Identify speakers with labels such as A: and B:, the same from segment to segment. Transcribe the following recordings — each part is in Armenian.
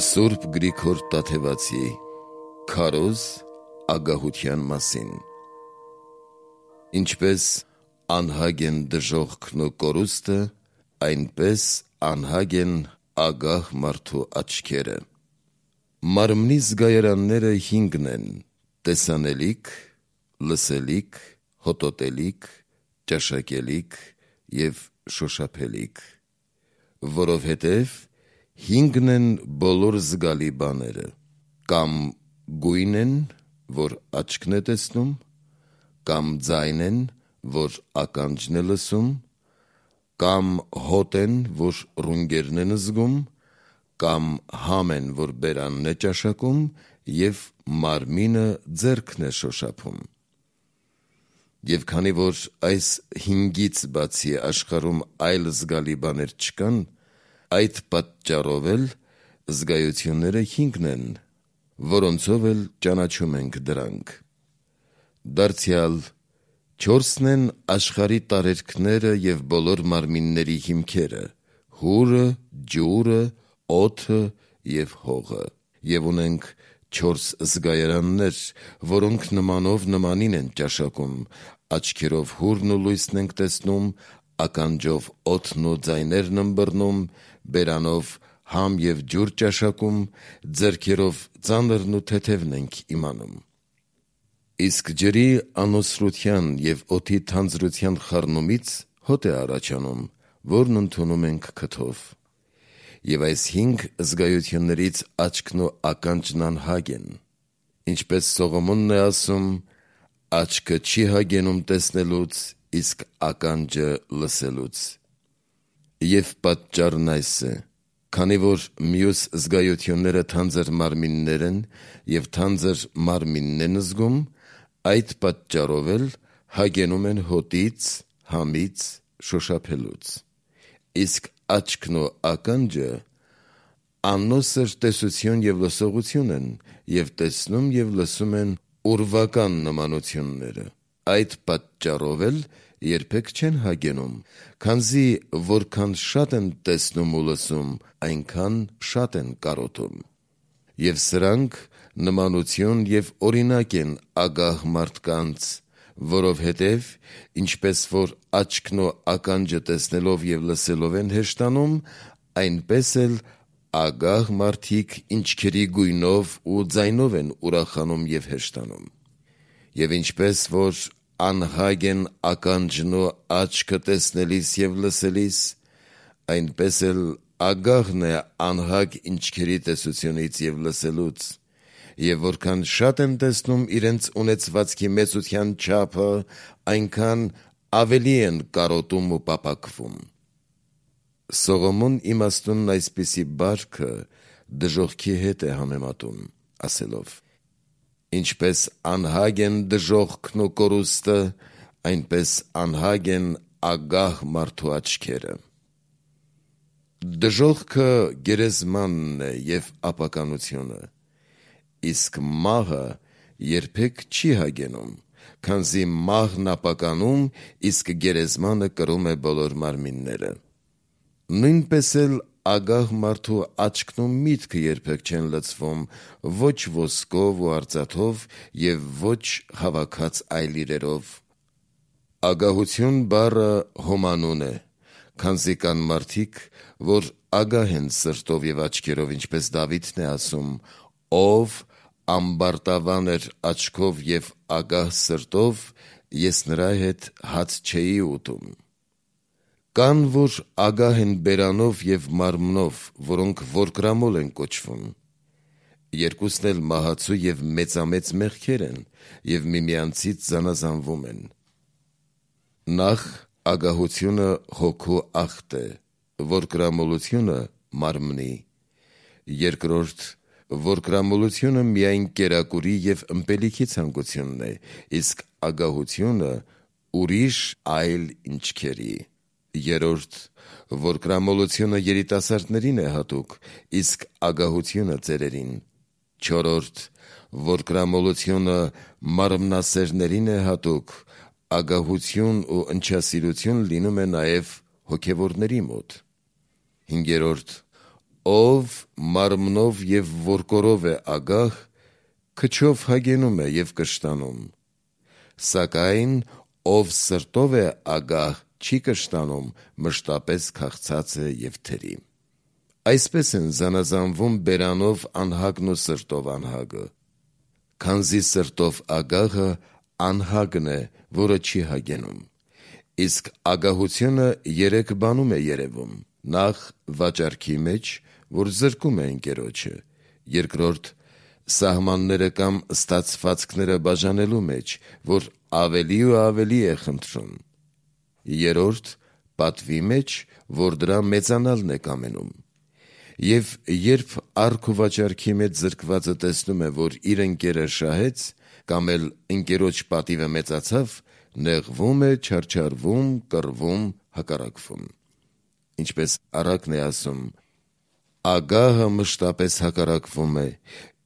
A: Սուրբ Գրիգոր Տաթևացի քարոզ ագահության մասին։ Ինչպես անհագ են դժոխքն ու կորուստը, այնպես անհագ են ագահ մարդու աչքերը։ Մարմնի զգայարանները 5 են՝ տեսանելիք, լսելիք, հոտոտելիք, ճաշակելիք և շոշափելիք, որովհետև 5 են բոլոր զգալի բաները, կամ գույն են, որ աչքն է տեսնում, կամ ձայն են, որ ականջն է լսում, կամ հոտ են, որ ռունգերն են զգում, կամ համ են, որ բերանն է ճաշակում, և մարմինը ձեռքն է շոշափում։ Եվ քանի որ այս 5-ից բացի աշխարհում այլ զգալի բաներ չկան, այդ պատճառով էլ զգայությունները 5 են, որոնցով էլ ճանաչում ենք դրանք։ Դարձյալ 4 են աշխարհի տարերքները և բոլոր մարմինների հիմքերը՝ հուրը, ջուրը, օդը և հողը, և ունենք 4 զգայարաններ, որոնք նմանով նմանին են ճաշակում, աչքերով հուրն ու լույսն ենք տեսնում, ականջով օդն ու ձայներն ըմբռնում, բերանով համ և ջուր ճաշակում, ձեռքերով ծանրն ու թեթևն ենք իմանում։ Իսկ ջրի անոսրության և օդի թանձրության խառնումից հոտ է առաջանում, որն ընդունում ենք քթով։ Եվ այս 5 զգայություններից աչքն ու ականջն անհագ են։ Ինչպես Սողոմոնն է ասում. «Աչքը չի հագենում տեսնելուց, իսկ ականջը լսելուց»։ Եվ պատճառն այս է. քանի որ մյուս զգայությունները թանձր մարմիններ են, և թանձր մարմինն են զգում, այդ պատճառով էլ հագենում են հոտից, համից, շոշափելուց։ Իսկ աչքն ու ականջը անոսր տեսություն և լսողություն են, և տեսնում և լսում են ուրվական նմանությունները։ Այդ պատճառով էլ երբեք չեն հագենում, քանզի որքան շատ են տեսնում ու լսում, այնքան շատ են կարոտում։ Եվ սրանք նմանություն և օրինակ են ագահ մարդկանց, որովհետև ինչպես որ աչքն ու ականջը տեսնելով և լսելով են հեշտանում, այնպես էլ ագահ մարդիկ ինչքերի գույնով ու ձայնով են ուրախանում և հեշտանում։ Եվ ինչպես որ անհագ են ականջն ու աչքը տեսնելիս և լսելիս, այնպես էլ ագահն է անհագ ինչքերի տեսությունից և լսելուց։ Եվ որքան շատ են տեսնում իրենց ունեցվածքի մեծության չափը, այնքան ավելի են կարոտում ու պապակվում։ Սողոմոն իմաստունն այսպիսի բարքը դժոխքի հետ է համեմատում, ասելով. «Ինչպես անհագ են դժոխքն ու կորուստը, այնպես անհագ են ագահ մարդու աչքերը»։ Դժոխքը գերեզմանն է և ապականությունը, իսկ մահը երբեք չի հագենում, քանզի մահն ապականում, իսկ գերեզմանը կրում է բոլոր մարմինները։ Նույնպես էլ ագահ մարդու աչքն ու միտքը երբեք չեն լցվում ոչ ոսկով ու արծաթով և ոչ հավաքած այլ իրերով։ Ագահություն բառը հոմանուն է, քանզի կան մարդիկ, որ ագահ են սրտով և աչքերով, ինչպես Դավիթն է ասում. «Ով ամբարտավան էր աչքով և ագահ սրտով, ես նրա հետ հաց չէի ուտում»։ Կան, որ ագահ են բերանով և մարմնով, որոնք որկրամոլ են կոչվում։ Երկուսն էլ մահացու և մեծամեծ մեղքեր են և միմյանցից զանազանվում են։ Նախ ագահությունը հոգու ախտ է, որկրամոլությունը՝ մարմնի։ Երկրորդ որկրամոլությունը միայն կերակուրի և ըմպելիքի ցանկությունն է, իսկ ագահությունը ուրիշ այլ ինչքերի։ Երրորդ որկրամոլությունը երիտասարդներին է հատուկ, իսկ ագահությունը՝ ծերերին։ Չորրորդ որկրամոլությունը մարմնասերներին է հատուկ, ագահություն ու ընչասիրություն լինում է նաև հոգևորների մոտ։ Հինգերորդ ով մարմնով և ворկորով է ագահ, քչով հագենում է և կշտանում, սակայն ով սրտով է ագահ, չի կշտանում, մշտապես քաղցած է և թերի։ Այսպես են զանազանվում բերանով անհագն ու սրտով անհագը, քանզի սրտով ագահը անհագն է, որը չի հագենում։ Իսկ ագահությունը երեք բանում է երևում. նախ վաճառքի մեջ, որ զրկում է ընկերոջը, երկրորդ սահմանները կամ ստացվածքները բաժանելու մեջ, որ ավելի ու ավելի է խնդրում, երրորդ պատվի մեջ, որ դրա մեծանալն է կամենում։ Եվ երբ առք ու վաճառքի մեջ զրկվածը տեսնում է, որ իր ընկերը շահեց, կամ էլ ընկերոջ պատիվը մեծացավ, նեղվում է, չարչարվում, կռվում, հակառակվում։ Ինչպես առակն է ասում. ագահը մշտապես հակառակվում է,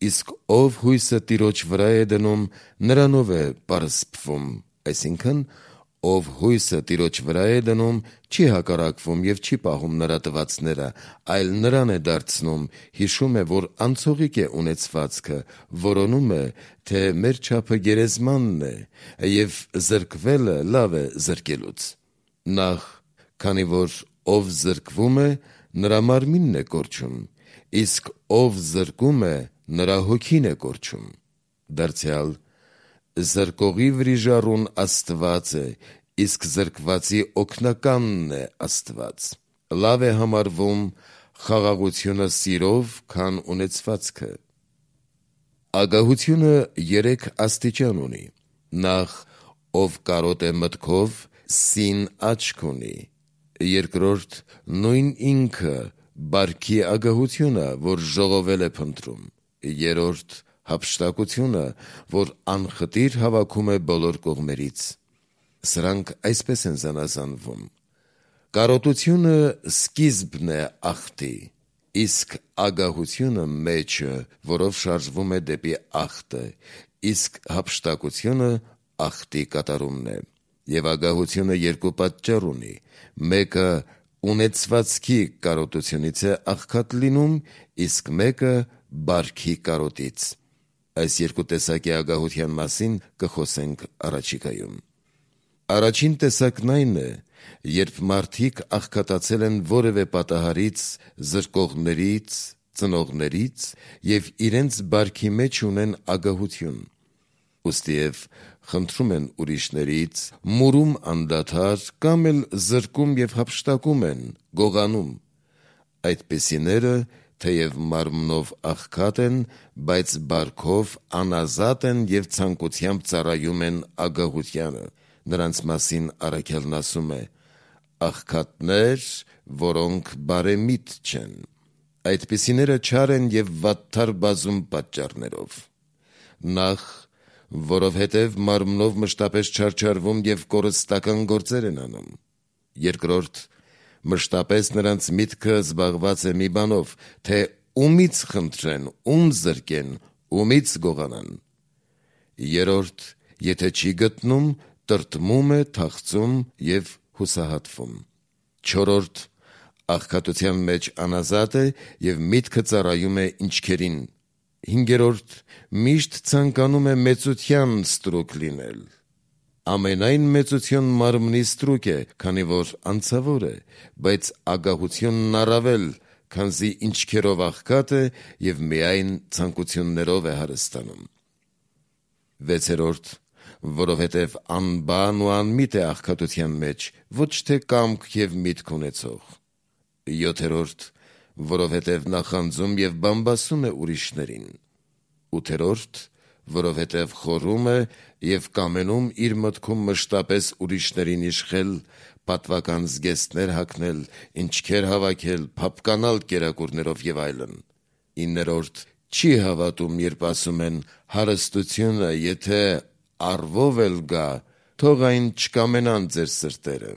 A: իսկ ով հույսը տիրոջ վրա է դնում, նրանով է պարսփվում, այսինքն ով հույսը տիրոջ վրա է դնում, չի հակառակվում և չի պահում նրա տվածները, այլ նրան է դարձնում, հիշում է, որ անցողիկ է ունեցվածքը, որոնում է, թե մեր չափը գերեզմանն է, և զրկվելը լավ է զրկելուց։ Նախ, քանի որ ով զրկվում է, նրա մարմինն է կորչում, իսկ ով զրկում է, նրա հոգին է կորչում։ Դարձյալ զրկողի վրիժառուն Աստված է, իսկ զրկվածի օգնականն է Աստված։ Լավ է համարվում խաղաղությունը սիրով, քան ունեցվածքը։ Ագահությունը երեք աստիճան ունի. նախ, ով կարոտ է մտքով, սին աչք ունի, երկրորդ նույն ինքը բարքի ագահությունը, որ ժողովել է փնտրում, երրորդ հափշտակությունը, որ անխտիր հավաքում է բոլոր կողմերից։ Սրանք այսպես են զանազանվում. կարոտությունը սկիզբն է ախտի, իսկ ագահությունը մեջը, որով շարժվում է դեպի ախտը, իսկ հափշտակությունը ախտի կատարումն է։ Եվ ագահությունը երկու պատճառ ունի. մեկը ունեցվածքի կարոտությունից է աղքատ լինում, իսկ մեկը բարքի կարոտից։ Այս երկու տեսակի ագահության մասին կխոսենք առաջիկայում։ Առաջին տեսակն այն է, երբ մարդիկ աղքատացել են որևէ պատահարից, զրկողներից, ծնողներից և իրենց բարքի մեջ ունեն ագահություն։ Ուստիև խնդրում են ուրիշներից, մուրում անդադար, կամ էլ զրկում և հափշտակում են, գողանում։ Այդպիսիները, թեև մարմնով աղքատ են, բայց բարքով անազատ են և ցանկությամբ ծառայում են ագահությանը։ Նրանց մասին առաքյալն ասում է. աղքատներ, որոնք բարեմիտ չեն։ Այդպիսիները չար են և վատթար բազում պատճառներով. նախ, որովհետև մարմնով մշտապես չարչարվում և կորստական գործեր են անում, երկրորդ, մշտապես նրանց միտքը զբաղված է մի բանով, թե ումից խնդրեն, ում զրկեն, ումից գողանան, երրորդ, եթե չի գտնում, տրտմում է, թախծում և հուսահատվում, չորրորդ, աղքատության մեջ անազատ է և միտքը ծառայում է ինչքերին, հինգերորդ, միշտ ցանկանում է մեծության ստրուկ լինել։ Ամենայն մեծություն մարմնի ստրուկ է, քանի որ անցավոր է, բայց ագահությունն առավել, քանզի ինչքերով աղքատ է և միայն ցանկություններով է հարստանում։ վեցերորդ, որովհետև անբան ու անմիտ է աղքատության մեջ, ոչ թե կամք և միտք ունեցող, յոթերորդ, որովհետև նախանձում և բամբասում է ուրիշներին, ութերորդ, որովհետև խորում է և կամենում իր մտքում մշտապես ուրիշներին իշխել, պատվական զգեստներ հագնել, ինչքեր հավաքել, փափկանալ կերակուրներով և այլն, իններորդ, չի հավատում, երբ ասում են հարստությունը, եթե առվով էլ գա, թող այն չկամենան ձեր սրտերը,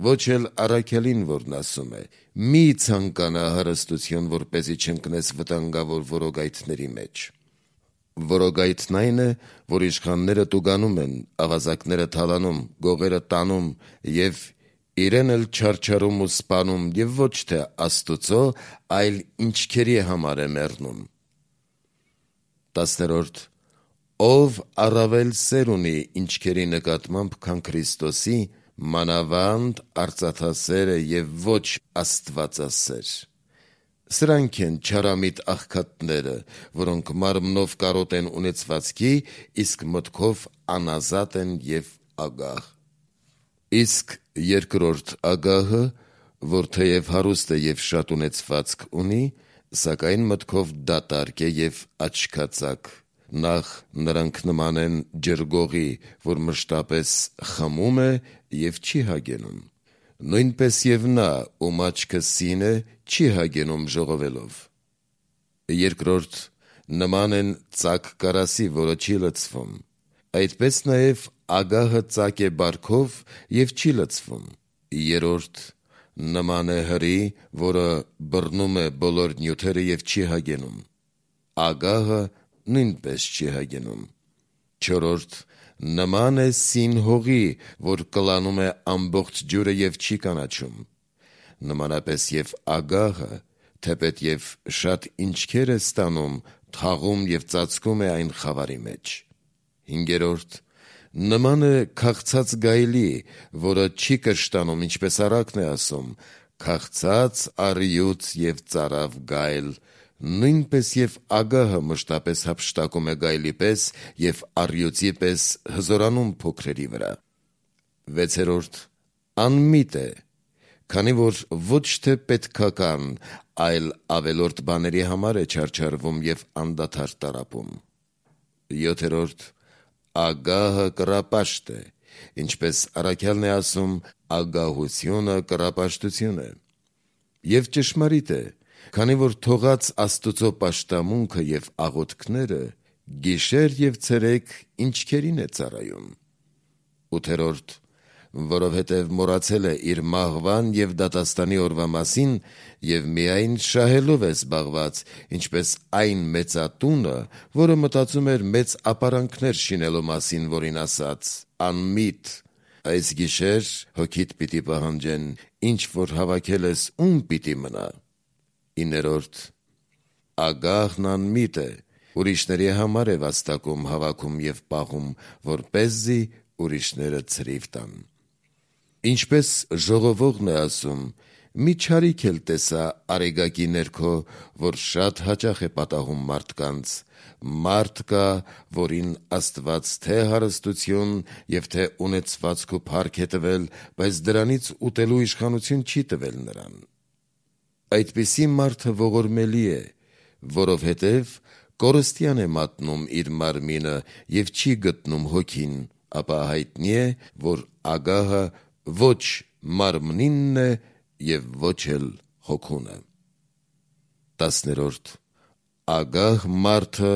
A: ոչ էլ առաքյալին, որն ասում է. մի ցանկանա հարստություն, որպեսզի չընկնես վտանգավոր որոգայթների մեջ։ Որոգայթն այն է, որ իշխանները տուգանում են, ավազակները թալանում, գողերը տանում և իրեն էլ չարչարում ու սպանում և ոչ թե Աստուծո, այլ ինչքերի համար է մեռնում։ 10. Ով առավել սեր ունի ինչքերի նկատմամբ, քան Քրիստոսի, մանավանդ արծաթասեր է և ոչ աստվածասեր։ Սրանք են չարամիտ աղքատները, որոնք մարմնով կարոտ են ունեցվածքի, իսկ մտքով անազատ են և ագահ։ Իսկ երկրորդ ագահը, որ թեև հարուստ է և շատ ունեցվածք ունի, սակայն մտքով դատարկ է և աչքածակ, նախ նրանք նման են ջրգողի, որ մշտապես խմում է և չի հագենում, նույնպես և նա, ում աչքը սին է, չի հագենում ժողովելով։ Երկրորդ նման են ծակ կարասի, որը չի լցվում, այդպես նաև ագահը ծակ է բարքով և չի լցվում։ Երրորդ նման է հրի, որը բռնում է բոլոր նյութերը և չի հագենում, ագահը նույնպես չի հագենում։ Չորրորդ նման է սին հողի, որ կլանում է ամբողջ ջուրը և չի կանաչում, նմանապես և ագահը, թեպետ և շատ ինչքեր է ստանում, թաղում և ծածկում է այն խավարի մեջ։ Հինգերորդ նման է քաղցած գայլի, որը չի կշտանում, ինչպես առակն է ասում, քաղցած առյուծ և ծարավ գայլ, նույնպես և ագահը մշտապես հափշտակում է գայլի պես և առյուծի պես հզորանում փոքրերի վրա։ Վեցերորդ անմիտ է, քանի որ ոչ թե պետքական, այլ ավելորդ բաների համար է չարչարվում և անդադար տառապում։ Յոթերորդ ագահը կռապաշտ է, ինչպես առաքյալն է ասում, ագահությունը կռապաշտություն է։ Եվ ճշմարիտ է, քանի որ թողած Աստուծո պաշտամունքը և աղոթքները գիշեր և ցերեկ ինչքերին է ծառայում։ Ութերորդ որովհետև մոռացել է իր մահվան և դատաստանի օրվա մասին և միայն շահելով է զբաղված, ինչպես այն մեծատունը, որը մտածում էր մեծ ապարանքներ շինելու մասին, որին ասաց. «Անմիտ, այս գիշեր հոգիդ պիտի պահանջեն, ինչ որ հավաքել ես, ում պիտի մնա»։ 9. Ագահն անմիտ է, ուրիշների համար է վաստակում, հավաքում և պահում, որպեսզի ուրիշները ցրիվ տան։ Ինչպես ժողովողն է ասում. «Մի չարիք էլ տեսա արեգակի ներքո, որ շատ հաճախ է պատահում մարդկանց. մարդ կա, որին Աստված թե հարստություն և թե ունեցվածք ու փառք է տվել, բայց դրանից ուտելու իշխանություն չի տվել նրան։ Այդպիսի մարդը ողորմելի է, որովհետև կորստյան է մատնում իր մարմինը և չի գտնում հոգին, ապա հայտնի է, որ ագահը ոչ մարմնինն է և ոչ էլ հոգունը»։ 10. Ագահ մարդը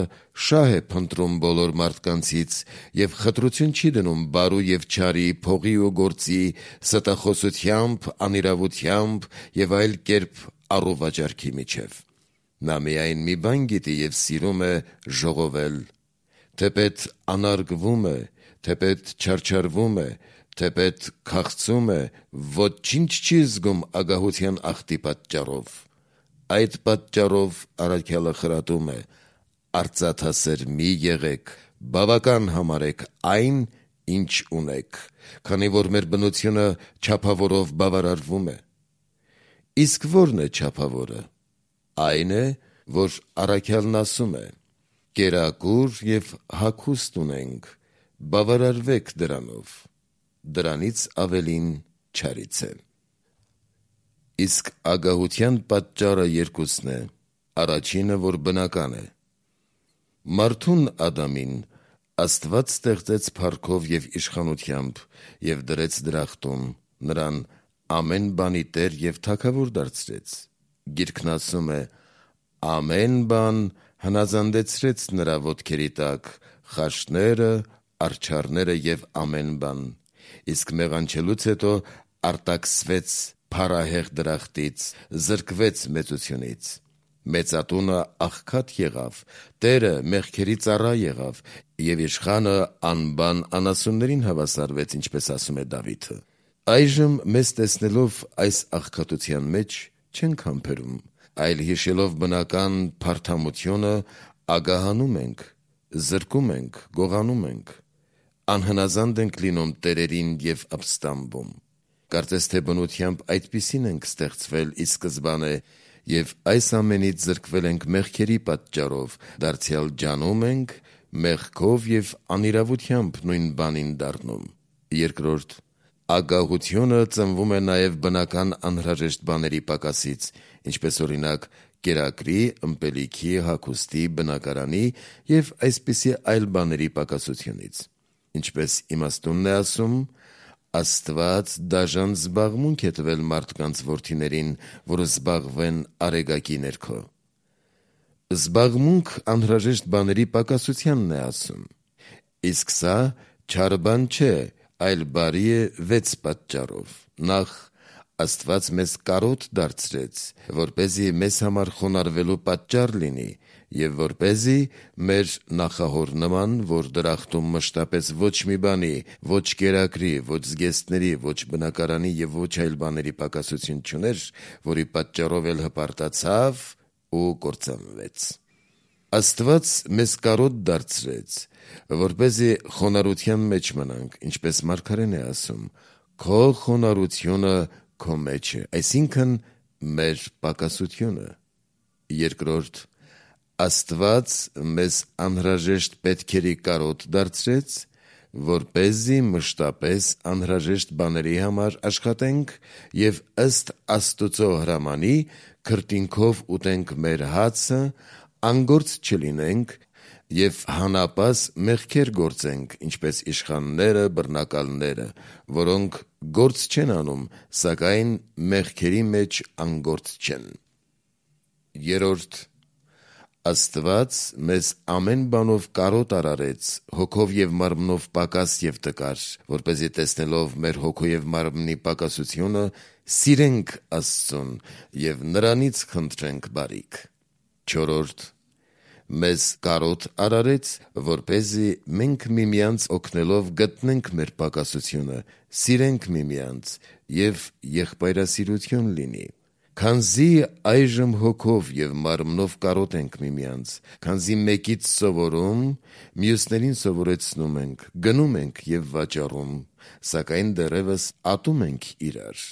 A: շահ է փնտրում բոլոր մարդկանցից և խտրություն չի դնում բարու և չարի, փողի ու գործի, ստախոսությամբ, անիրավությամբ և այլ կերպ առուվաճառքի միջև։ Նա միայն մի բան գիտի և սիրում է ժողովել, թեպետ անարգվում է, թեպետ չարչարվում է, թեպետ քաղցում է, ոչինչ չի զգում ագահության ախտի պատճառով։ Այդ պատճառով առաքյալը խրատում է. «Արծաթասեր մի եղեք, բավական համարեք այն, ինչ ունեք, քանի որ մեր բնությունը չափավորով բավարարվում է»։ Իսկ ո՞րն է չափավորը։ Այն է, որ առաքյալն ասում է. «Կերակուր և հագուստ ունենք, բավարարվեք դրանով»։ Դրանից ավելին չարից է։ Իսկ ագահության պատճառը երկուսն է. առաջինը, որ բնական է։ Մարդուն Ադամին Աստված ստեղծեց փառքով և իշխանությամբ և դրեց դրախտում, նրան ամեն բանի տեր և թագավոր դարձրեց։ Գիրքն ասում է. «Ամեն բան հնազանդեցրեց նրա ոտքերի տակ, խաշները, արջառները և ամեն բան, իսկ մեղանչելուց հետո արտաքսվեց փառահեղ դրախտից, զրկվեց մեծությունից։ Մեծատունը աղքատ եղավ, տերը մեղքերի ծառա եղավ, և իշխանը անբան անասուններին հավասարվեց, ինչպես ասում է Դավիթը. Այժմ մեզ տեսնելով այս աղքատության մեջ չենք համբերում, այլ հիշելով բնական փարթամությունը ագահանում ենք, զրկում ենք, գողանում ենք, անհնազանդ ենք լինում տերերին և ապստամբում։ Կարծես թե բնությամբ այդպիսին ենք ստեղծվել ի սկզբանե և այս ամենից զրկվել ենք մեղքերի պատճառով, դարձյալ ջանում ենք, մեղքով և անիրավությամբ նույն բանին դառնում։ Երկրորդ, ագահությունը ծնվում է նաև բնական անհրաժեշտ բաների պակասից, ինչպես օրինակ կերակրի, ըմպելիքի, հագուստի, բնակարանի և այսպիսի այլ բաների պակասությունից։ Ինչպես իմաստունն է ասում, Աստված դաժան զբաղմունք է տվել մարդկանց որդիներին, որ զբաղվեն արեգակի ներքո։ Զբաղմունք անհրաժեշտ բաների պակասությանն է ասում։ Իսկ սա չար բան չէ, այլ բարի է 6 պատճառով։ Նախ, Աստված մեզ կարոտ դարձրեց, որպեսզի մեզ համար խոնարհվելու պատճառ լինի և որպեսզի մեր նախահոր նման, որ դրախտում մշտապես ոչ մի բանի, ոչ կերակրի, ոչ զգեստների, ոչ բնակարանի և ոչ այլ բաների պակասություն չուներ, որի պատճառով էլ հպարտացավ ու կործանվեց։ Աստված մեզ կարոտ դարձրեց, որպեսզի խոնարհության մեջ մնանք, ինչպես մարգարեն է ասում. «Քո խոնարհությունը քո մեջ է», այսինքն մեր պակասությունը։ Երկրորդ, Աստված մեզ անհրաժեշտ պետքերի կարոտ դարձրեց, որպեսզի մշտապես անհրաժեշտ բաների համար աշխատենք և ըստ Աստուծո հրամանի քրտինքով ուտենք մեր հացը, անգործ չլինենք և հանապաս մեղքեր գործենք, ինչպես իշխանները, բռնակալները, որոնք գործ չեն անում, սակայն մեղքերի մեջ անգործ չեն։ Երրորդ, Աստված մեզ ամեն բանով կարոտ արարեց, հոգով և մարմնով պակաս և տկար, որպեսզի տեսնելով մեր հոգու և մարմնի պակասությունը, սիրենք Աստծուն և նրանից խնդրենք բարիք։ Չորրորդ, մեզ կարոտ արարեց, որպեսզի մենք միմյանց օգնելով գտնենք մեր պակասությունը, սիրենք միմյանց և եղբայրասիրություն լինի։ Քանզի այժմ հոգով և մարմնով կարոտ ենք միմյանց, քանզի մեկից սովորում, մյուսներին սովորեցնում ենք, գնում ենք և վաճառում, սակայն դեռևս ատում ենք իրար։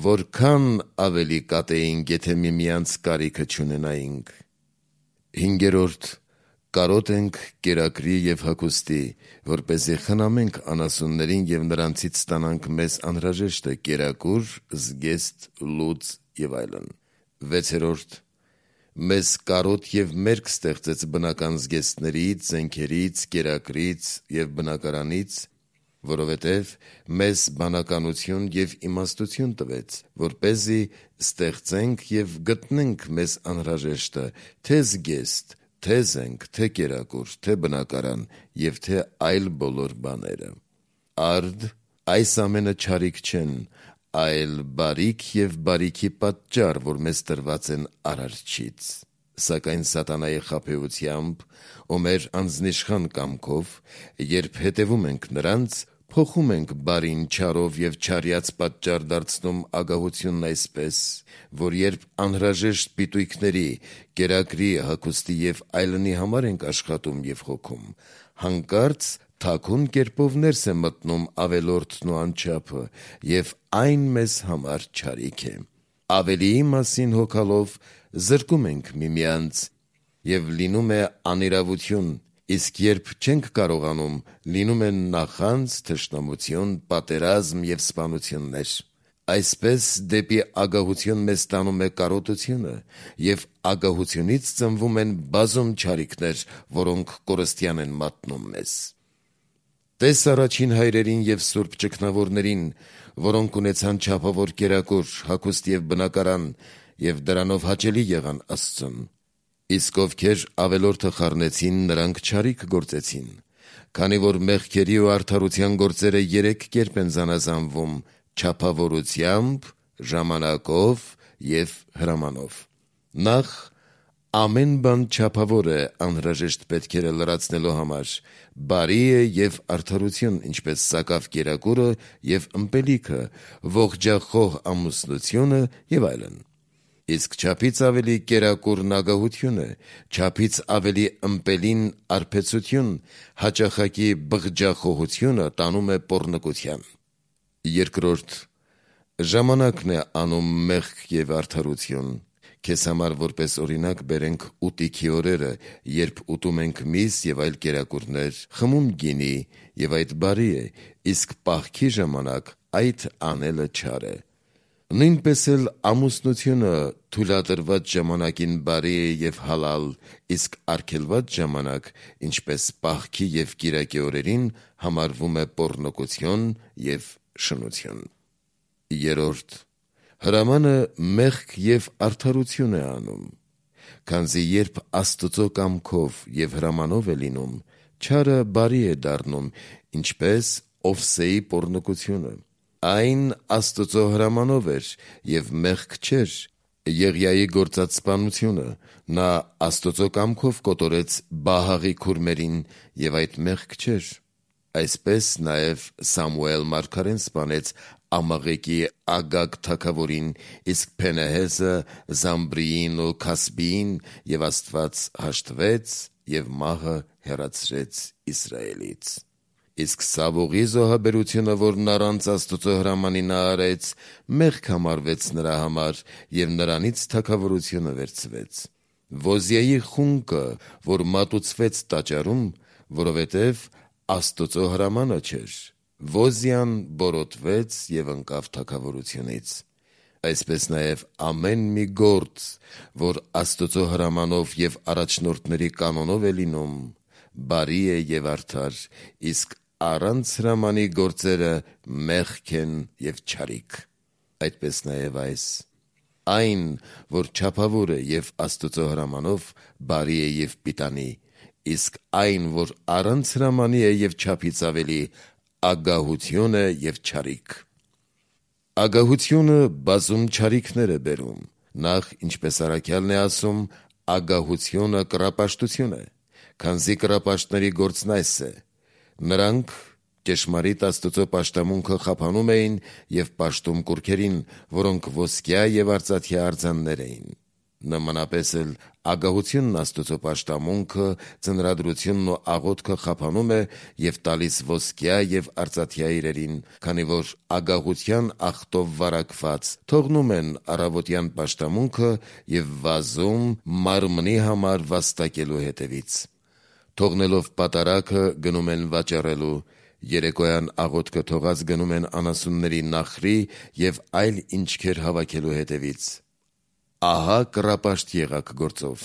A: Որքան ավելի կատեինք, եթե միմյանց կարիքը չունենայինք։ Հինգերորդ, կարոտ ենք կերակրի և հագուստի, որպեսզի խնամենք անասուններին և նրանցից ստանանք մեզ անհրաժեշտը կերակուր, զգեստ, լուծ և այլն։ Վեցերորդ, մեզ կարոտ և մերկ ստեղծեց բնական զգեստներից, զենքերից, կերակրից և բնակարանից, որովհետև մեզ բանականություն և իմաստություն տվեց, որպեսզի ստեղծենք և գտնենք մեզ անհրաժեշտը, թե զգեստ, թե զենք, թե կերակուր, թե բնակարան և թե այլ բոլոր բաները։ Արդ այս ամենը չարիք չեն, այլ բարիք և բարիքի պատճառ, որ մեզ տրված են Արարչից։ Սակայն սատանայի խաբեությամբ ու մեր անձնիշխան կամքով, երբ հետևում ենք նրանց, փոխում ենք բարին չարով և չարյաց պատճառ դարձնում ագահությունն այսպես, որ երբ անհրաժեշտ պիտույքների, կերակրի, հագուստի և այլնի համար ենք աշխատում և հոգում, հանկարծ թաքուն կերպով ներս է մտնում ավելորդն ու անչափը և այն մեզ համար չարիք է։ Ավելիի մասին հոգալով զրկում ենք միմյանց և լինում է անիրավություն, իսկ երբ չենք կարողանում, լինում են նախանձ, թշնամություն, պատերազմ և սպանություններ։ Այսպես դեպի ագահություն մեզ տանում է կարոտությունը և ագահությունից ծնվում են բազում չարիքներ, որոնք կորստյան են մատնում մեզ։ Տես առաջին հայրերին և սուրբ ճգնավորներին, որոնք ունեցան չափավոր կերակուր, հագուստ և բնակարան և դրանով հաճելի եղան Աստծուն։ Իսկ ովքեր ավելորդը խառնեցին, նրանք չարիք գործեցին, քանի որ մեղքերի ու արդարության գործերը 3 կերպ են զանազանվում՝ չափավորությամբ, ժամանակով և հրամանով։ Նախ, ամեն բան չափավոր է անհրաժեշտ պետքերը լրացնելու համար, բարի է և արդարություն, ինչպես սակավ կերակուրը և ըմպելիքը, ողջախոհ ամուսնությունը և այլն։ Իսկ չափից ավելի կերակուրն ագահություն է, չափից ավելի ըմպելին արբեցություն, հաճախակի բղջախոհությունը տանում է պոռնկության։ Երկրորդ, ժամանակն է անում մեղք և արդարություն։ Քեզ համար որպես օրինակ բերենք ուտիքի օրերը, երբ ուտում ենք միս և այլ կերակուրներ, խմում գինի, և այդ բարի է, իսկ պահքի ժամանակ այդ անելը չար է։ Նույնպես էլ ամուսնությունը թույլատրված ժամանակին բարի է և հալալ, իսկ արգելված ժամանակ, ինչպես պահքի և կիրակի օրերին, համարվում է պոռնկություն և շնություն։ Երրորդ, հրամանը մեղք և արդարություն է անում, քանզի երբ Աստծո կամքով և հրամանով է լինում, չարը բարի է դառնում, ինչպես Օվսեի պոռնկությունը։ Այն Աստծո հրամանով էր և մեղք չէր։ Եղիայի գործած սպանությունը, նա Աստծո կամքով կոտորեց Բահաղի քուրմերին, և այդ մեղք չէր։ Այսպես նաև Սամուել մարգարեն սպանեց Ամաղեկի Ագագ թագավորին, իսկ Փենեհեսը Զամբրիին ու Քասբիին, և Աստված հաշտվեց և մահը հեռացրեց Իսրայելից։ Իսկ Սավողի զոհաբերությունը, որն առանց Աստծո հրամանի նա արեց, մեղք համարվեց նրա համար, և նրանից թագավորությունը վերցվեց։ Ոզիայի խունկը, որ մատուցվեց տաճարում, որովհետև Աստծո հրամանը չէր, Ոզիան բորոտվեց և ընկավ թագավորությունից։ Այսպես նաև ամեն մի գործ, որ Աստծո հրամանով և առաջնորդների կանոնով է լինում, բարի է և արդար, իսկ առանց հրամանի գործերը մեղք են և չարիք։ Այդպես նաև այս։ Այն, որ չափավոր է և Աստծո հրամանով, բարի է և պիտանի, իսկ այն, որ առանց հրամանի է և չափից ավելի, ագահություն է և չարիք։ Ագահությունը բազում չարիքներ է բերում։ Նախ, ինչպես առաքյալն է ասում, ագահությունը կռապաշտություն է, քանզի կռապաշտների գործն այս է. նրանք ճշմարիտ Աստծո պաշտամունքը խափանում էին և պաշտում կուռքերին, որոնք ոսկյա և արծաթյա արձաններ էին։ Նմանապես էլ ագահությունն Աստծո պաշտամունքը, ձնրադրությունն ու աղոթքը խափանում է և տալիս ոսկյա և արծաթյա իրերին, քանի որ ագահության աղտով վարակված թողնում են առավոտյան պաշտամունքը և վազում մարմնի համար վաստակելու հետևից։ Թողնելով պատարագը գնում են վաճառելու, երեկոյան աղոթքը թողած գնում են անասունների նախրի և այլ ինչքեր հավաքելու հետևից։ Ահա կռապաշտ եղաք գործով։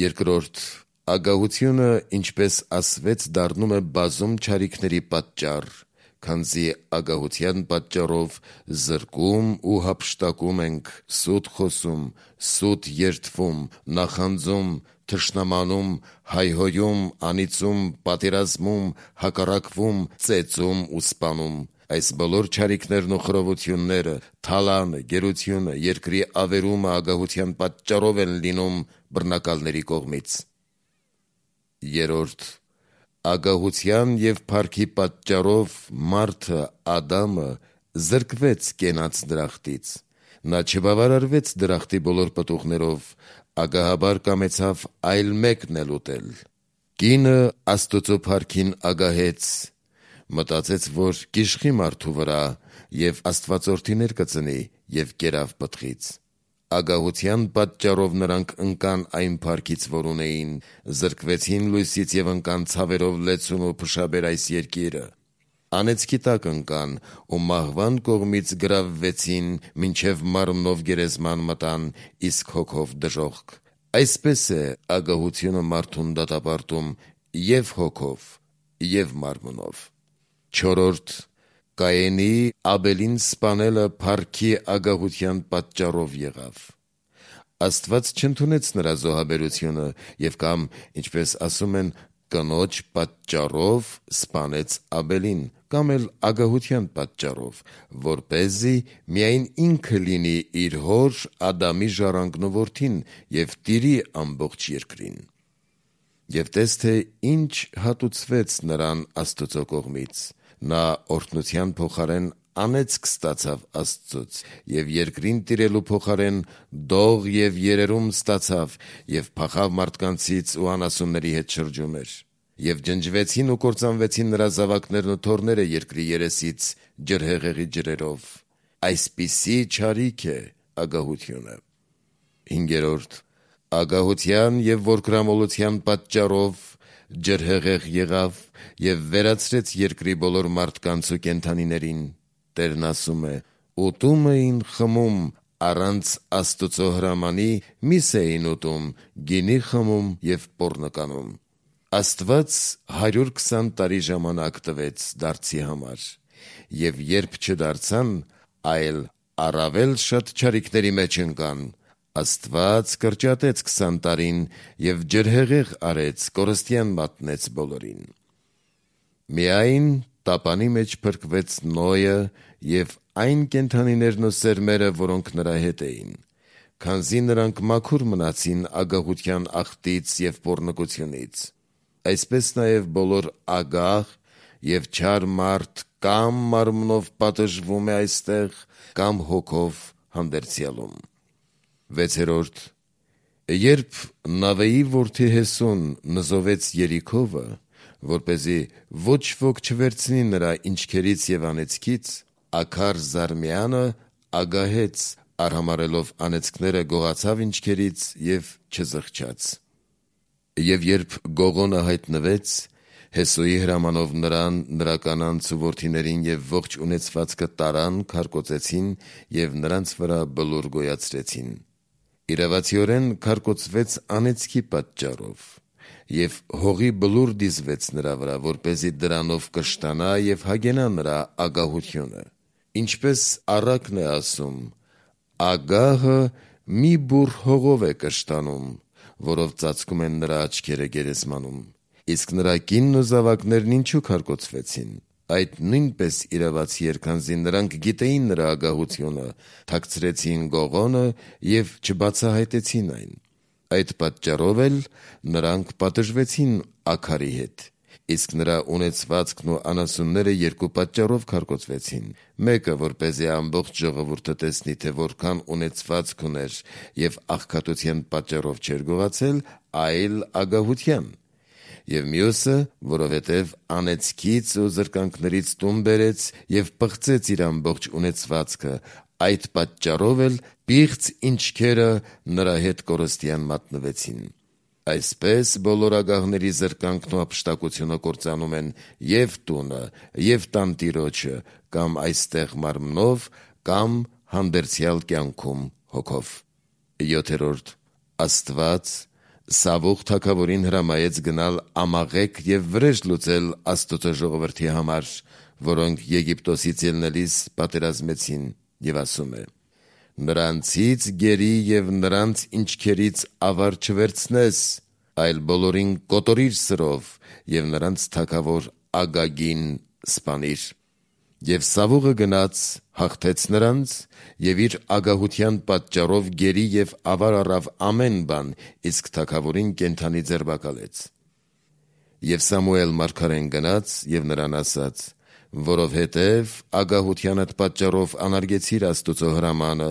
A: Երկրորդ, ագահությունը, ինչպես ասվեց, դառնում է բազում չարիքների պատճառ, քանզի ագահության պատճառով զրկում ու հափշտակում ենք, սուտ խոսում, սուտ երդվում, նախանձում, թշնամանում, հայհոյում, անիծում, պատերազմում, հակառակվում, ծեծում ու սպանում։ Այս բոլոր չարիքներն ու խռովությունները, թալանը, գերությունը, երկրի ավերումը ագահության պատճառով են լինում բռնակալների կողմից։ Երրորդ, ագահության և փառքի պատճառով մարդը, Ադամը, զրկվեց կենաց դրախտից։ Նա չբավարարվեց դրախտի բոլոր պտուղներով, ագահաբար կամեցավ այլ մեկն էլ ուտել։ Կինը Աստծո փառքին ագահեց, մտածեց, որ կիշխի մարդու վրա և աստվածորդիներ կծնի և կերավ պտղից։ Ագահության պատճառով նրանք ընկան այն փառքից, որ ունեին, զրկվեցին լույսից և ընկան ցավերով լեցուն ու փշաբեր այս երկիրը։ Անեծքի տակ ընկան ու մահվան կողմից գրավվեցին, մինչև մարմնով գերեզման մտան, իսկ հոգով դժոխք։ Այսպես է ագահությունը մարդուն դատապարտում և հոգով, և մարմնով։ Չորրորդ, Կայենի Աբելին սպանելը փառքի ագահության պատճառով եղավ։ Աստված չընդունեց նրա զոհաբերությունը և կամ, ինչպես ասում են, կնոջ պատճառով սպանեց Աբելին, կամ էլ ագահության պատճառով, որպեսզի միայն ինքը լինի իր հոր Ադամի ժառանգն ու որդին և տիրի ամբողջ երկրին։ Եվ տես, թե ինչ հատուցվեց նրան Աստուծո կողմից. նա օրհնության փոխարեն անեծք ստացավ Աստծուց, և երկրին տիրելու փոխարեն դող և երերում ստացավ, և փախավ մարդկանցից ու անասունների հետ շրջում էր։ Եվ ջնջվեցին ու կործանվեցին նրա զավակներն ու թոռները երկրի երեսից ջրհեղեղի ջրերով։ Այսպիսի չարիք է ագահությունը։ 5. Ագահության և որդորամոլության պատճառով ջրհեղեղ եղավ և վերացրեց երկրի բոլոր մարդկանց ու կենդանիներին։ Տերն ասում է. «Ուտում էին խմում, առանց Աստուծո հրամանի միս էին ուտում, գինի խմում և պոռնկանում»։ Աստված 120 տարի ժամանակ տվեց դարձի համար, և երբ չդարձան, այլ առավել շատ չարիքների մեջ ընկան, Աստված կրճատեց 20 տարին և ջրհեղեղ արեց, կորստյան մատնեց բոլորին։ Միայն տապանի մեջ փրկվեց Նոյը և այն կենդանիներն ու սերմերը, որոնք նրա հետ էին, քանզի նրանք մաքուր մնացին ագահության աղտից և պոռնկությունից։ Այսպես նաև բոլոր ագահ և չար մարդ կամ մարմնով պատժվում է այստեղ, կամ հոգով հանդերձյալում։ 6. Երբ Նավեի որդի Հեսուն նզովեց Երիքովը, որպեսզի ոչ ոք չվերցնի նրա ինչքերից և անեծքից, Աքար Զարմյանը ագահեց, արհամարհելով անեծքները գողացավ ինչքերից և չզղջաց։ Եվ երբ Գողոնը հայտնվեց, Հեսուի հրամանով նրան, նրա կանանց ու որդիներին և ողջ ունեցվածքը տարան, քարկոծեցին և նրանց վրա բլուր գոյացրեցին։ Իրավացիորեն քարկոծվեց անեծքի պատճառով, և հողի բլուր դիզվեց նրա վրա, որպեսզի դրանով կշտանա և հագենա նրա ագահությունը։ Ինչպես առակն է ասում. «Ագահը մի բուռ հողով է կշտանում, որով ծածկում են նրա աչքերը գերեզմանում»։ Իսկ նրա կինն ու զավակներն ինչու քարկոծվեցին։ Այդ նույնպես իրավացի էր, քանզի նրանք գիտեին նրա ագահությունը, թաքցրեցին Գողոնը և չբացահայտեցին այն։ Այդ պատճառով էլ նրանք պատժվեցին Աքարի հետ։ Իսկ նրա ունեցվածքն ու անասունները երկու պատճառով քարկոծվեցին. մեկը, որպեսզի ամբողջ ժողովուրդը տեսնի, թե որքան ունեցվածք ուներ և աղքատության պատճառով չէր գողացել, այլ ագահության, և մյուսը, որովհետև անեծքից ու զրկանքներից տուն բերեց և պղծեց իր ամբողջ ունեցվածքը, այդ պատճառով էլ պիղծ ինչքերը նրա հետ կորստյան մատնվեցին։ Այսպես բոլոր ագահների զրկանքն ու հափշտակությունը կործանում են և տունը, և տանտիրոջը, կամ այստեղ մարմնով, կամ հանդերձյալ կյանքում հոգով։ 7. Աստված Սավուղ թագավորին հրամայեց գնալ ամաղեկ և վրեժ լուծել Աստուծո ժողովրդի համար, որոնք Եգիպտոսից ելնելիս պատերազմեցին, և ասում է. «Նրանցից գերի և նրանց ինչքերից ավար չվերցնես, այլ բոլորին կոտորիր սրով և նրանց թագավոր Ագագին սպանիր»։ Եվ Սավուղը գնաց, հաղթեց նրանց և իր ագահության պատճառով գերի և ավար առավ ամեն բան, իսկ թագավորին կենդանի ձերբակալեց։ Եվ Սամուել մարգարեն գնաց և նրան ասաց. «Որովհետև ագահությանդ պատճառով անարգեցիր Աստուծո հրամանը,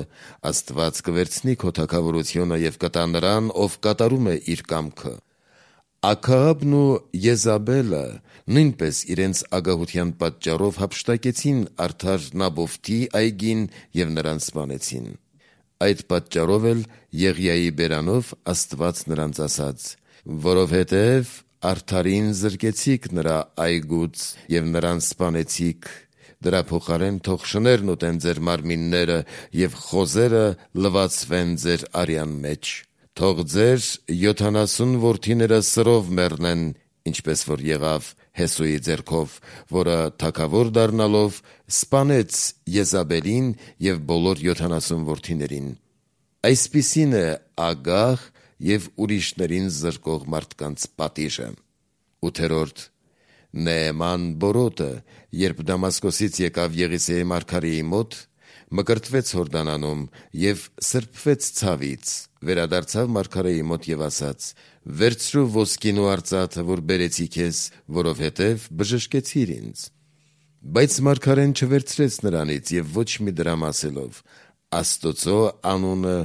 A: Աստված կվերցնի քո թագավորությունը և կտա նրան, ով կատարում է իր կամքը»։ Աքաղաբն ու Եզաբելը նույնպես իրենց ագահության պատճառով հափշտակեցին արդար Նաբովթի այգին և նրան սպանեցին։ Այդ պատճառով էլ Եղիայի բերանով Աստված նրանց ասաց. «Որովհետև արդարին զրկեցիք նրա այգուց և նրան սպանեցիք, դրա փոխարեն թող շներն ուտեն ձեր մարմինները և խոզերը լվացվեն ձեր արյան մեջ։ Թող ձեր 70 որդիները սրով մեռնեն, ինչպես որ եղավ Հեսուի ձեռքով, որը թագավոր դառնալով սպանեց Եզաբելին և բոլոր 70 որդիներին։ Այսպիսին է ագահ և ուրիշներին զրկող մարդկանց պատիժը»։ 8. Նեեման բորոտը, երբ Դամասկոսից եկավ Եղիսեի մարգարեի մոտ, մկրտվեց Հորդանանում և սրբվեց ցավից, վերադարձավ մարգարեի մոտ և ասաց. «Վերցրու ոսկին ու արծաթը, որ բերեցի քեզ, որովհետև բժշկեցիր ինձ»։ Բայց մարգարեն չվերցրեց նրանից և ոչ մի դրամ ասելով. «Աստծո անունը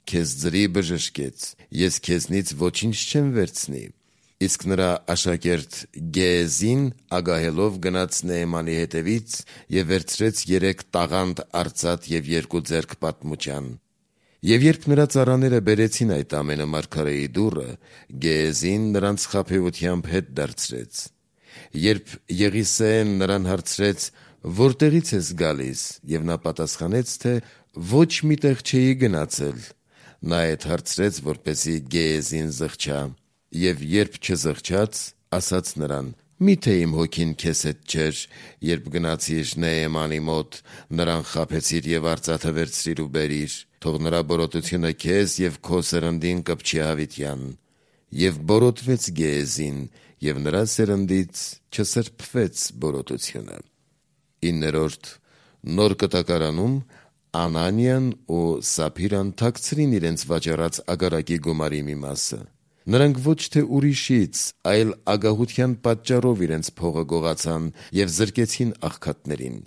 A: քեզ ձրի բժշկեց, ես քեզնից ոչինչ չեմ վերցնի»։ Իսկ նրա աշակերտ Գեհեզին ագահելով գնաց Նեեմանի հետևից և վերցրեց 3 տաղանդ արծաթ և 2 ձեռք պատմության։ Եվ երբ նրա ծառաները բերեցին այդ ամենը մարգարեի դուռը, Գեհեզին նրանց խաբեությամբ հետ դարձրեց։ Երբ Եղիսեեն նրան հարցրեց. «Որտեղից ես գալիս», և նա պատասխանեց, թե «Ոչ մի տեղ չէի գնացել», նա այդ հարցրեց, որպեսզի Գեհեզին զղջա։ Եվ երբ չզղջաց, ասաց նրան. «Մի՞թե իմ հոգին քեզ հետ չէր, երբ գնացիր Նեեմանի մոտ, նրան խաբեցիր և արծաթը վերցրիր ու բերիր, թող նրա բորոտությունը քեզ և քո սերնդին կպչի հավիտյան»։ Եվ բորոտվեց Գեհեզին, և նրա սերնդից չսրբվեց բորոտությունը։ 9. Նոր կտակարանում Անանիան ու Սափիրան թաքցրին իրենց վաճառած ագարակի գումարի մի մասը։ Նրանք ոչ թե ուրիշից, այլ ագահության պատճառով իրենց փողը գողացան և զրկեցին աղքատներին։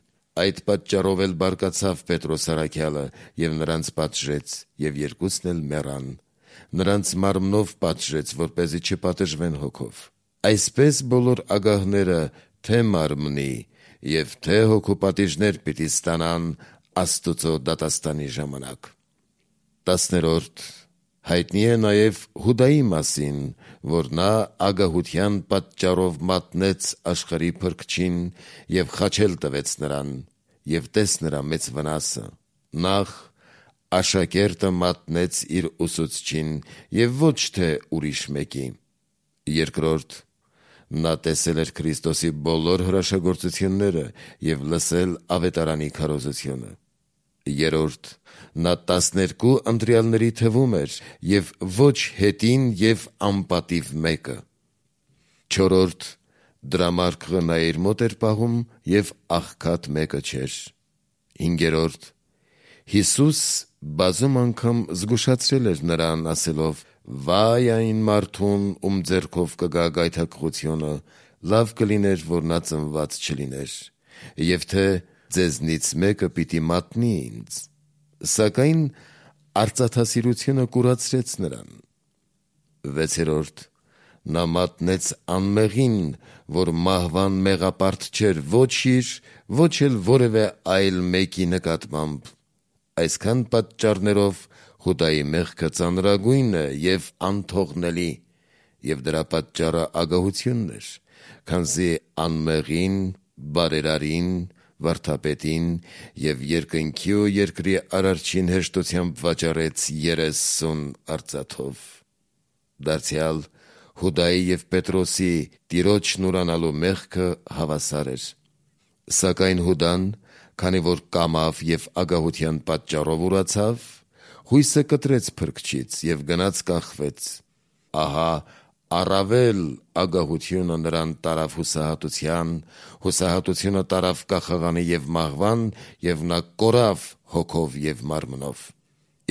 A: Այդ պատճառով էլ բարկացավ Պետրոս առաքյալը և նրանց պատժեց, և երկուսն էլ մեռան։ Նրանց մարմնով պատժեց, որպեսզի չպատժվեն հոգով։ Այսպես բոլոր ագահները թե մարմնի և թե հոգու պատիժներ պիտի ստանան Աստծո դատաստանի ժամանակ։ 10. Հայտնի է նաև Հուդայի մասին, որ նա ագահության պատճառով մատնեց աշխարհի Փրկչին և խաչել տվեց նրան, և տես նրա մեծ վնասը։ Նախ աշակերտը մատնեց իր ուսուցչին և ոչ թե ուրիշ մեկի։ 2. Նա տեսել էր Քրիստոսի բոլոր հրաշագործությունները և լսել ավետարանի քարոզությունը։ 3. Նա 12 ընտրյալների թվում էր և ոչ հետին և անպատիվ մեկը։ 4. Դրամարկղը նա իր մոտ էր պահում և աղքատ մեկը չէր։ 5. Հիսուս բազում անգամ զգուշացրել էր նրան, ասելով. «Վայ այն մարդուն, ում ձեռքով կգա գայթակղությունը, լավ կլիներ, որ նա ծնված չլիներ, և թե ձեզնից մեկը պիտի մատնի ինձ»։ Սակայն արծաթասիրությունը կուրացրեց նրան։ 6. Նա մատնեց անմեղին, որ մահվան մեղապարտ չէր ոչ իր, ոչ էլ որևէ այլ մեկի նկատմամբ։ Այսքան պատճառներով Հուդայի մեղքը ծանրագույն է և անթողնելի, և դրա պատճառը ագահությունն էր, քանզի անմեղին, բարերարին, վարդապետին և երկնքի ու երկրի արարչին հեշտությամբ վաճառեց 30 արծաթով։ Դարձյալ Հուդայի և Պետրոսի Տիրոջն ուրանալու մեղքը հավասար էր։ Սակայն Հուդան, քանի որ կամավ և ագահության պատճառով ուրացավ, հույսը կտրեց Փրկչից և գնաց կախվեց։ Ահա առավել ագահությունը նրան տարավ հուսահատության, հուսահատությունը տարավ կախաղանի և մահվան, և նա կորավ հոգով և մարմնով։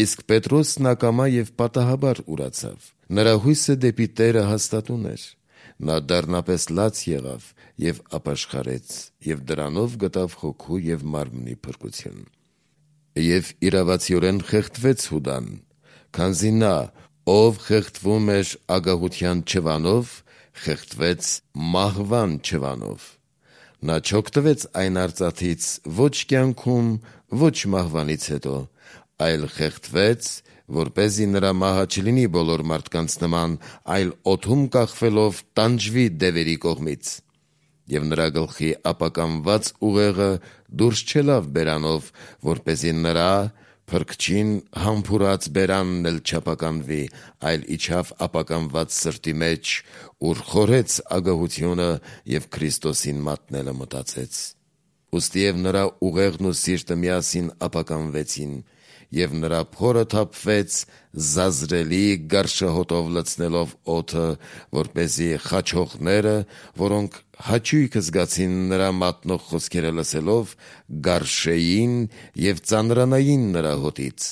A: Իսկ Պետրոսն ակամա և պատահաբար ուրացավ։ Նրա հույսը դեպի Տերը հաստատուն էր։ Նա դառնապես լաց եղավ և ապաշխարեց, և դրանով գտավ հոգու և մարմնի փրկություն։ Եվ իրավացիորեն խեղդվեց Հուդան, քանզի նա, ով խեղդվում էր ագահության չվանով, խեղդվեց մահվան չվանով։ Նա չօգտվեց այն արծաթից ոչ կյանքում, ոչ մահվանից հետո, այլ խեղդվեց, որպեսզի նրա մահը չլինի բոլոր մարդկանց նման, այլ օդում կախվելով տանջվի դևերի կողմից։ Եվ նրա գլխի ապականված ուղեղը դուրս չելավ բերանով, որպեսզի նրա Փրկչին համբուրած բերանն էլ չապականվի, այլ իջավ ապականված սրտի մեջ, ուր խորհեց ագահությունը և Քրիստոսին մատնելը մտածեց։ Ուստիև նրա ուղեղն ու սիրտը միասին ապականվեցին, և նրա փորը թափվեց զազրելի գարշահոտով լցնելով օդը, որպեսզի խաչողները, որոնք հաճույքը զգացին նրա մատնող խոսքերը լսելով, գարշեին և ծանրանային նրա հոտից։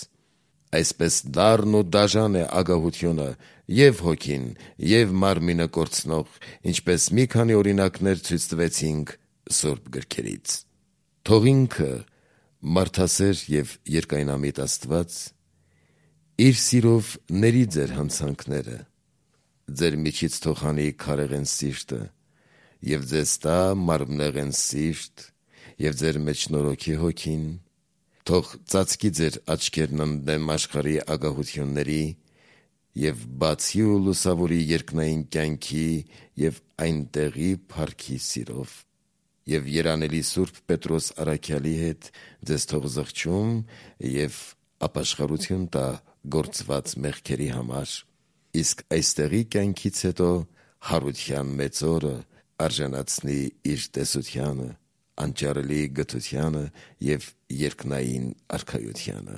A: Այսպես դառն ու դաժան է ագահությունը և հոգին, և մարմինը կորցնող, ինչպես մի քանի օրինակներ ցույց տվեցինք Սուրբ գրքերից։ Թող ինքը մարդասեր և երկայնամիտ Աստված իր սիրով ների ձեր հանցանքները, ձեր միջից թող հանի քարեղեն սիրտը և ձեզ տա մարմնեղեն սիրտ և ձեր մեջ նորոգի հոգին, թող ծածկի ձեր աչքերն ընդդեմ աշխարհի ագահությունների և բացի ու լուսավորի երկնային կյանքի և այնտեղի փառքի սիրով, և երանելի Սուրբ Պետրոս առաքյալի հետ ձեզ թող զղջում և ապաշխարություն տա գործված մեղքերի համար, իսկ այստեղի կյանքից հետո հարության մեծ օրը արժանացնի իր տեսությանը, անճարելի գթությանը և երկնային արքայությանը։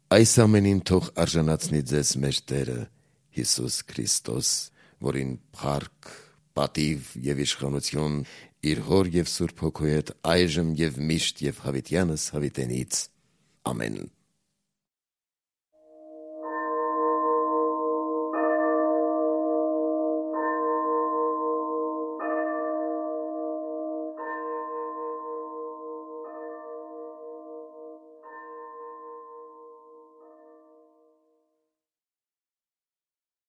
A: Այս ամենին թող արժանացնի ձեզ մեր Տերը Հիսուս Քրիստոս, որին փառք, պատիվ և իշխանություն իր Հոր և Սուրբ Հոգու հետ այժմ և միշտ և հավիտյանս հավիտենից։ Ամեն։